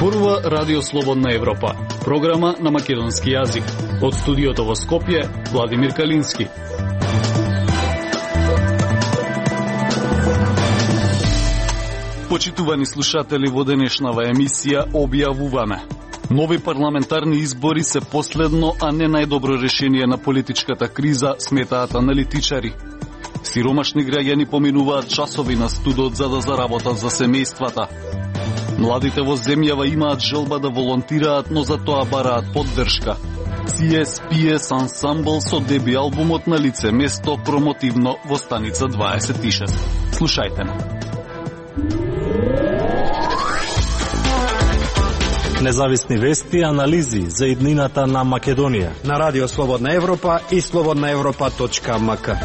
Зборува Радио Слободна Европа, програма на македонски јазик. Од студиото во Скопје, Владимир Калински. Почитувани слушатели, во денешнава емисија објавуваме: нови парламентарни избори се последно, а не најдобро решение на политичката криза, сметаат аналитичари. Сиромашни граѓани поминуваат часови на студот за да заработат за семејствата. Младите во земјава имаат желба да волонтираат, но за тоа бараат поддршка. CSPS ансамбл со деби албумот на лице место промотивно во станица 26. Слушајте на. Независни вести и анализи за иднината на Македонија на Радио Слободна Европа и slobodnaevropa.mk.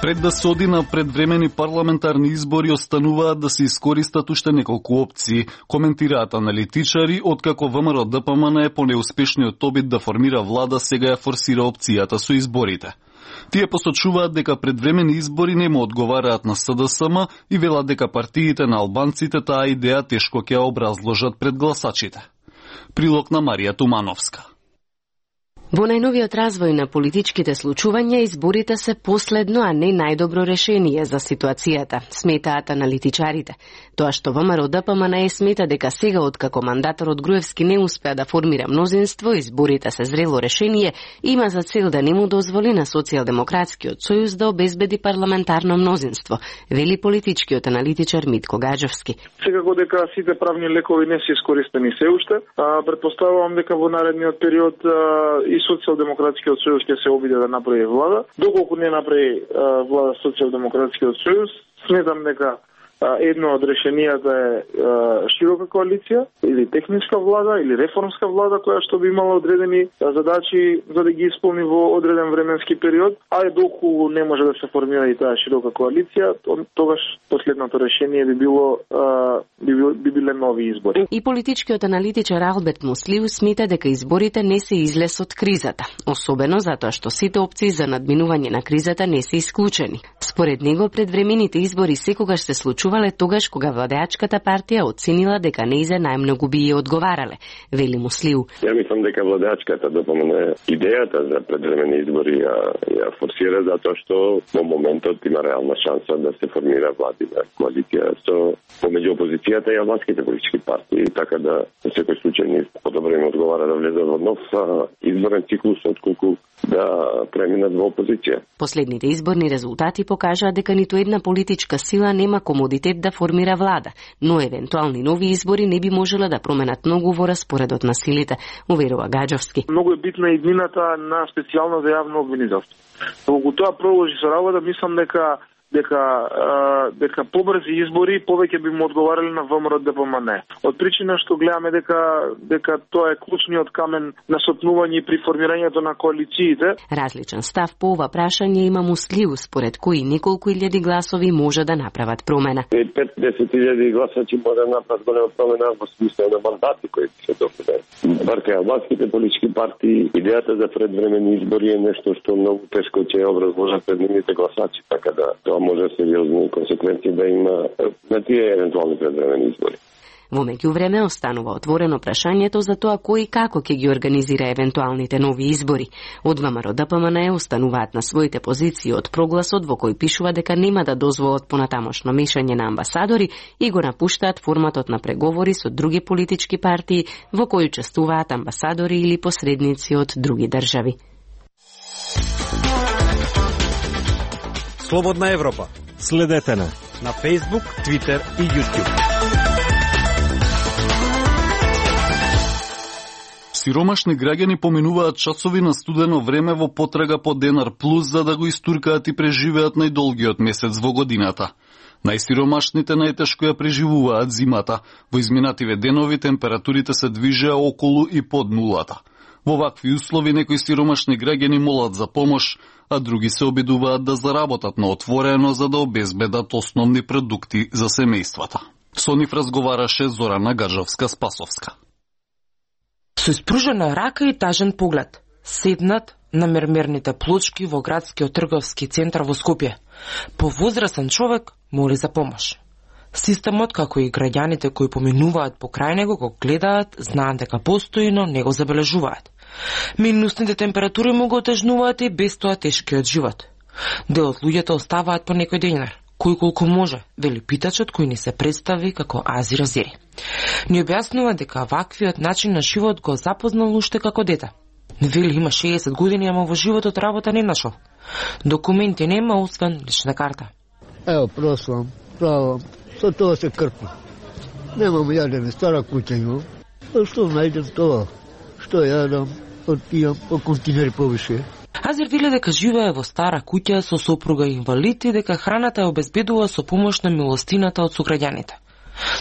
Пред да се оди на предвремени парламентарни избори, остануваат да се искористат уште неколку опции, коментираат аналитичари, откако ВМРО ДПМН по неуспешниот обид да формира влада, сега ја форсира опцијата со изборите. Тие посочуваат дека предвремени избори не му одговараат на СДСМ и велат дека партиите на албанците таа идеја тешко ќе ја образложат пред гласачите. Прилог на Марија Тумановска. Во најновиот развој на политичките случувања, изборите се последно, а не најдобро решение за ситуацијата, сметаат аналитичарите. Тоа што ВМРО ДПМН смета дека сега, откако мандаторот Груевски не успеа да формира мнозинство, изборите се зрело решение, има за цел да не му дозволи на Социјалдемократскиот сојуз да обезбеди парламентарно мнозинство, вели политичкиот аналитичар Митко Гаджовски. Секако дека сите правни лекови не се искористени се уште, претпоставувам дека во наредниот период и Социјалдемократскиот сојуз ќе се обиде да направи влада. Доколку не направи влада Социјалдемократскиот сојуз, сметам дека едно од решенијата е широка коалиција или техничка влада или реформска влада која што би имала одредени задачи за да ги исполни во одреден временски период, а доколку не може да се формира и таа широка коалиција, тогаш последното решение би биле нови избори. И политичкиот аналитичар Алберт Муслиу смета дека изборите не се излез од кризата, особено затоа што сите опции за надминување на кризата не се исклучени. Според него, предвремените избори секогаш се случувале тогаш кога владеачката партија оценила дека неизе најмногу би ја одговарале, вели Муслиу. Ја мислам дека владеачката ДПМН идејата за предвремени избори ја форсира затоа што во моментот има реална шанса да се формира владина коалиција со помеѓу опозицијата и албанските политички партии, така да во секој случај ни подобро им одговара да влезат во нов изборен циклус отколку да преминат во опозиција. Последните изборни резултати покажаа дека ниту една политичка сила нема комодитет да формира влада, но евентуални нови избори не би можеле да променат многу во распоредот на силите, уверува Гаджовски. Многу е битна иднината на специјално за јавно обвинителство. Доколку тоа продолжи со работа, мислам дека побрзи избори повеќе би му одговарале на ВМРО ДПМН. Од причина што гледаме дека тоа е клучниот камен на сопнување при формирањето на коалициите. Различен став по ова прашање има Муслиу, според кои неколку илјади гласови може да направат промена. 5-10 гласачи може да направат голема промена во смисла на мандати кои се добиваат. Барка албанските политички партии, идејата за предвремени избори е нешто што многу тешко ќе образложат пред нивните гласачи, така да тоа може сериозни консеквенции да има на тие евентуални предвремени избори. Во меѓувреме останува отворено прашањето за тоа кој и како ќе ги организира евентуалните нови избори. Од ВМРО ДПМН остануваат на своите позиции од прогласот во кој пишува дека нема да дозволат понатамошно мешање на амбасадори и го напуштаат форматот на преговори со други политички партии во кои учествуваат амбасадори или посредници од други држави. Слободна Европа. Следете на Facebook, Twitter и YouTube. Сиромашни граѓани поминуваат часови на студено време во потрага по Денар Плюс за да го истуркаат и преживеат најдолгиот месец во годината. Најсиромашните најтешко ја преживуваат зимата. Во изминативе денови температурите се движеа околу и под нулата. Во вакви услови некои сиромашни граѓани молат за помош, а други се обидуваат да заработат на отворено за да обезбедат основни продукти за семејствата. Со нив разговараше Зорана Гаджовска-Спасовска. Со испружена рака и тажен поглед, седнат на мермерните плочки во градскиот трговски центар во Скопје. Повозрасен човек моли за помош. Системот, како и граѓаните кои поминуваат покрај него, го гледаат, знаат дека постои, но не го забележуваат. Минусните температури му го отежнуваат и без тоа тешкиот живот. Дел од луѓето оставаат по некој денар, кој колку може, вели питачот кој ни се представи како Ази Розери. Ни објаснува дека ваквиот начин на живот го запознал уште како дете. Вели има 60 години, ама во животот работа не нашол. Документи нема, освен лична карта. Ево, прослам, правам, со тоа се крпам. Немам јадене, стара куќа имам. Што најдем тоа? Што јадам, отпијам по континери повише. Азир вели дека живее во стара куќа со сопруга инвалид и дека храната ја обезбедува со помош на милостината од сограѓаните.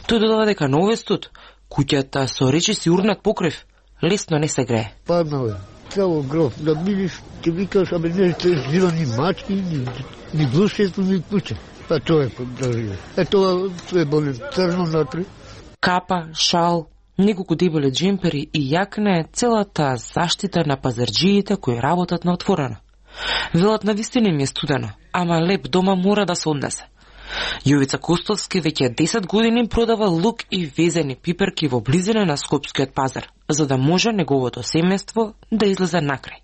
Тој додава дека на овој студ, куќата со речиси урнат покрив, лесно не се грее. Паднал е, цело гров, да бидиш, ти викаш, абе не жива ни мачки, ни глушето, ни куќа. Па тоа е поддржива. Тоа е болен црно натри. Капа, шал, неколку дебели джемпери и јакна е целата заштита на пазарџиите кои работат на отворено. Велат на вистина ми е студено, ама леп дома мора да се однесе. Јовица Костовски веќе 10 години продава лук и везени пиперки во близина на Скопскиот пазар, за да може неговото семејство да излезе накрај.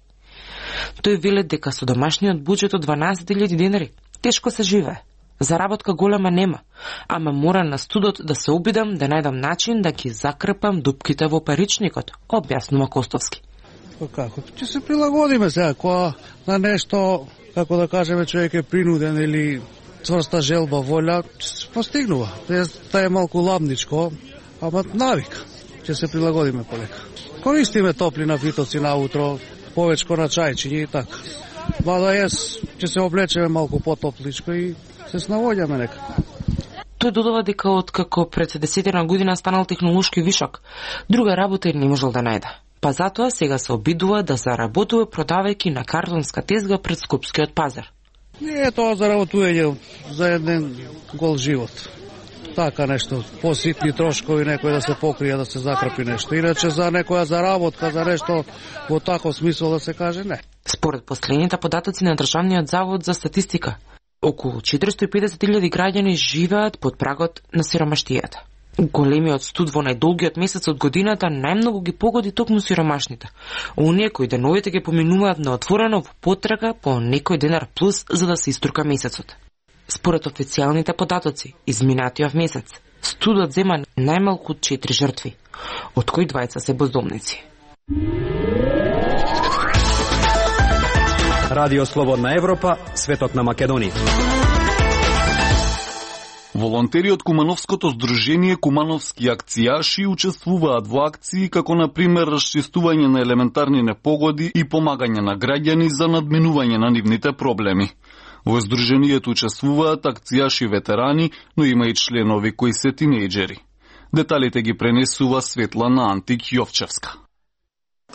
Тој вели дека со домашниот буџет од 12.000 денари тешко се живее. Заработка голема нема, ама мора на студот да се обидам да најдам начин да ги закрепам дупките во паричникот, објаснува Костовски. Како? Ќе се прилагодиме сега, кога на нешто, како да кажеме, човек е принуден или цврста желба, волја, ќе се постигнува. Та е малку ламничко, ама навик. Ќе се прилагодиме полека. Користиме топли напитоци наутро, повечко на чајчиња и така. Мада јас ќе се облечеме малку потопличко и се снаоѓаме некако. Тој додава дека откако пред 10 година станал технолошки вишок, друга работа не можел да најде. Па затоа сега се обидува да заработува продавајќи на картонска тезга пред Скопскиот пазар. Не е тоа заработување за еден гол живот. Така нешто, поситни трошкови, некој да се покрие, да се закрпи нешто. Иначе за некоја заработка, за нешто во таков смисол да се каже, не. Според последните податоци на Државниот завод за статистика, околу 450.000 граѓани живеат под прагот на сиромаштијата. Големиот студ во најдолгиот месец од годината најмногу ги погоди токму сиромашните. Оние кои деновите ги поминуваат на отворено во потрага по некој денар плюс за да се истурка месецот. Според официјалните податоци, изминатиот месец, студот зема најмалку 4 жртви, од кои 2 се бездомници. Радио Слободна Европа, светот на Македонија. Волонтери од Кумановското здружение Кумановски акцијаши учествуваат во акции како на пример расчистување на елементарни непогоди и помагање на граѓани за надминување на нивните проблеми. Во здруженијето учествуваат акцијаши ветерани, но има и членови кои се тинејџери. Деталите ги пренесува Светлана Антик Јовчевска.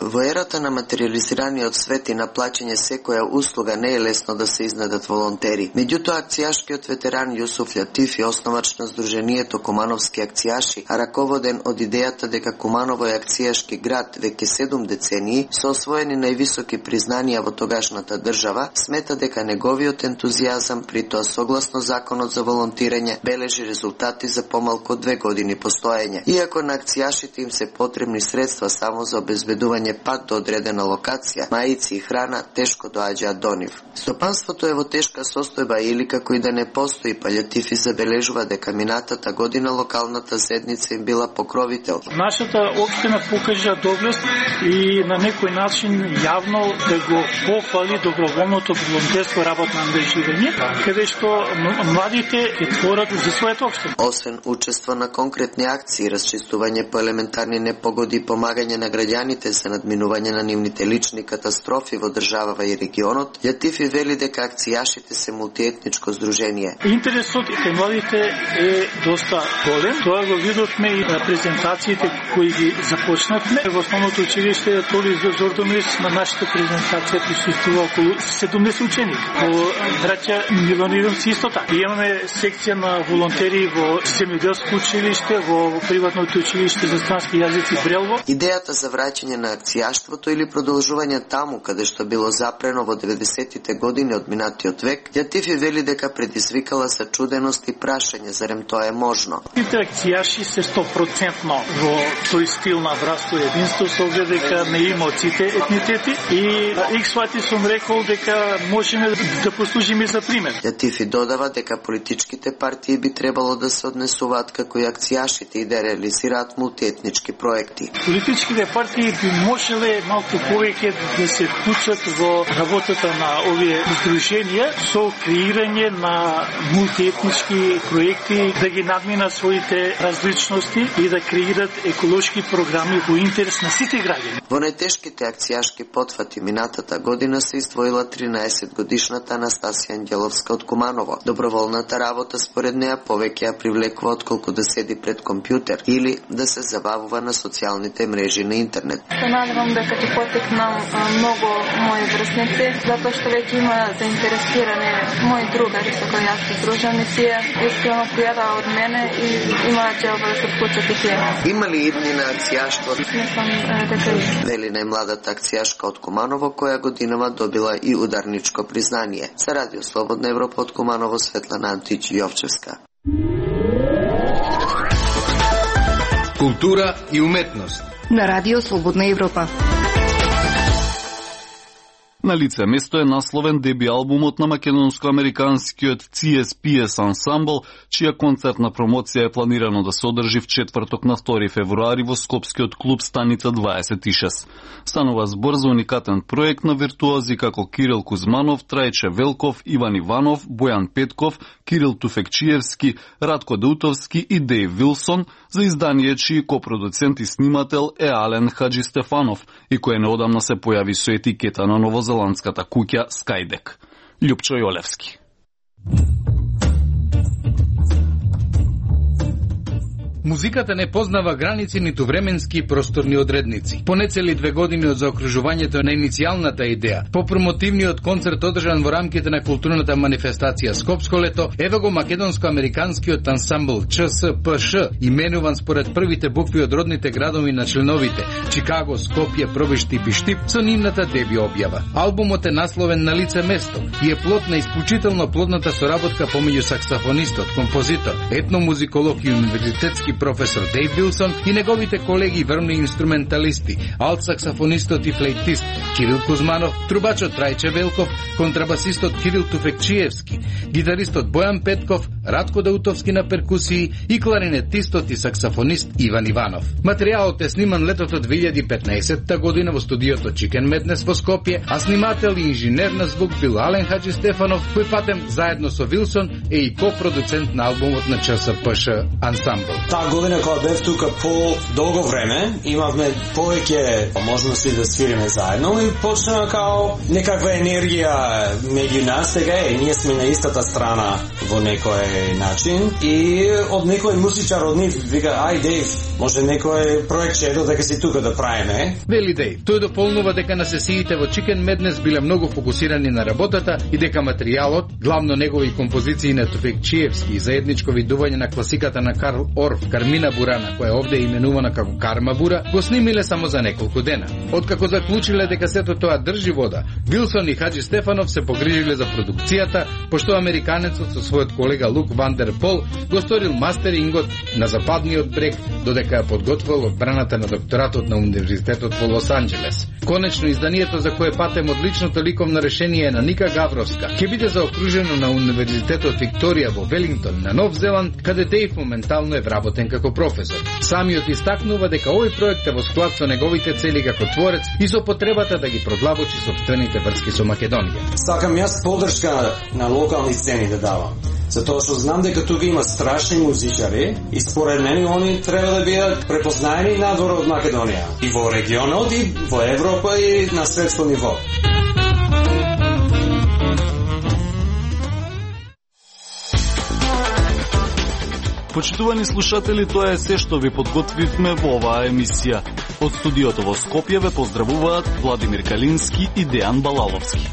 Во ерата на материализираниот свет и на плаќање секоја услуга не е лесно да се изнедат волонтери. Меѓутоа, акцијашкиот ветеран Јусуф Латифи, основач на здруженијето Кумановски акцијаши, а раководен од идејата дека Куманово е акцијашки град веќе 7 децении, со освоени највисоки признанија во тогашната држава, смета дека неговиот ентузијазам, при тоа согласно законот за волонтирање, бележи резултати за помалку од 2 години постоење. Иако на акцијашите им се потребни средства само за обезбедување пат до одредена локација, маици и храна тешко доаѓаат до нив. Стопанството е во тешка состојба или како и да не постои, па Латифи забележува дека минатата година локалната заедница им била покровител. Нашата општина покажа доблест и на некој начин јавно да го похвали доброволното волонтерско работно ангажирање, каде што младите ќе творат за својата општина. Освен учество на конкретни акции, расчистување по елементарни непогоди и помагање на граѓаните за надминување на нивните лични катастрофи во државава и регионот, Латифи вели дека акцијашите се мултиетничко здружение. Интересот кај младите е доста голем. Тоа го видовме и на презентациите кои ги започнавме. Во основното училиште Толи Зордомир на нашата презентација присуствува околу 70 ученици. Во браќа Милонидомци исто така. Имаме секција на волонтери во земјоделско училиште, во приватното училиште за странски јазици Брелво. Идејата за враќање на акцијаштвото или продолжување таму каде што било запрено во 90-тите години од минатиот век, Љатифи вели дека предизвикала сачуденост и прашање зарем тоа е можно. Сите акцијаши се 100% во тој стил на братство и единство, со оглед дека не има од сите етнитети и иксвати сум рекол дека можеме да послужиме за пример. Љатифи додава дека политичките партии би требало да се однесуваат како и акцијашите и да реализираат мултиетнички проекти. Политичките партии би можеле малку повеќе да се вклучат во работата на овие здруженија со креирање на мултиетнички проекти, да ги надминат своите различности и да креират еколошки програми во интерес на сите граѓани. Во најтешките акцијашки потфати минатата година се издвоила 13 годишната Анастасија Ангеловска од Куманово. Доброволната работа според неа повеќе ја привлекува отколку да седи пред компјутер или да се забавува на социјалните мрежи на интернет. Се надевам дека ќе потекнам многу мои врсници, затоа што веќе има заинтересирани мои другари со кои јас се дружам и тие искрено пријада од мене и имаат желба да се вклучат и тие. Има ли идни на акцијаштво? Мислам дека и. Вели најмладата акцијашка од Куманово, која годинава добила и ударничко признание. За Радио Слободна Европа од Куманово, Светлана Антич Јовчевска. Култура и уметност на Радио Слободна Европа. На лице место е насловен деби албумот на македонско-американскиот CSPS ансамбл, чија концертна промоција е планирано да се одржи в четврток на 2 февруари во скопскиот клуб Станица 26. Станува збор за уникатен проект на виртуози како Кирил Кузманов, Трајче Велков, Иван Иванов, Бојан Петков, Кирил Туфекчиевски, Радко Даутовски и Дејв Вилсон, за издание чиј копродуцент и снимател е Ален Хаджи Стефанов и кој неодамна се појави со етикета на новозеландската куќа Скајдек. Љупчо Јолевски. Музиката не познава граници ниту временски и просторни одредници. По нецели 2 години од заокружувањето на иницијалната идеја, по промотивниот концерт одржан во рамките на културната манифестација Скопско лето, ева го македонско-американскиот ансамбл ЧСПШ, именуван според првите букви од родните градови на членовите Чикаго, Скопје, Пробишти и Биштип, со нивната деби објава. Албумот е насловен На лице место и е плод на исклучително плодната соработка помеѓу саксофонистот, композитор, етномузиколог и универзитетски професор Дејв Вилсон и неговите колеги врвни инструменталисти, алт-саксофонистот и флейтист Кирил Кузманов, трубачот Трајче Велков, контрабасистот Кирил Туфекчиевски, гитаристот Бојан Петков, Радко Даутовски на перкусии и кларинетистот и саксофонист Иван Иванов. Материјалот е сниман летото 2015 година во студиото Chicken Madness во Скопје, а снимател и инженер на звук бил Ален Хаджи Стефанов, кој патем заедно со Вилсон е и копродуцент на албумот на ЧСПШ ансамбл. Таа година кога бев тука по долго време, имавме повеќе можности да свириме заедно и почна као некаква енергија меѓу нас. Сега ние сме на истата страна во некој начин и од некој музичар од нив вика, ај Дејв, може некој проектче дека си тука да правиме. Вели Дејв, тој дополнува дека на сесиите во Chicken Madness биле многу фокусирани на работата и дека материјалот, главно негови композиции на Туфекчиевски и заедничко видување на класиката на Карл Орф, Кармина Бурана, која овде е именувана како Карма Бура, го снимиле само за неколку дена. Откако заклучиле дека сето тоа држи вода, Вилсон и Хаджи Стефанов се погрижиле за продукцијата, пошто американецот со својот колега Лук Вандер Пол го сторил мастерингот на западниот брег, додека ја подготвил одбраната на докторатот на Универзитетот во Лос Анџелес. Конечно, изданието за кое патем одличното ликовно решение на Ника Гавровска ќе биде заокружено на Универзитетот Викторија во Велингтон на Нов Зеланд, каде Дејв моментално е вработен како професор. Самиот истакнува дека овој проект е во склад со неговите цели како творец и со потребата да ги продлабочи сопствените врски со Македонија. Сакам јас поддршка на локални сцени да давам, затоа што знам дека тука има страшни музичари и според мене они треба да бидат препознаени надвор од Македонија и во регионот и во Европа и на светско ниво. Почитувани слушатели, тоа е се што ви подготвивме во оваа емисија. Од студиото во Скопје ве поздравуваат Владимир Калински и Дејан Балаловски.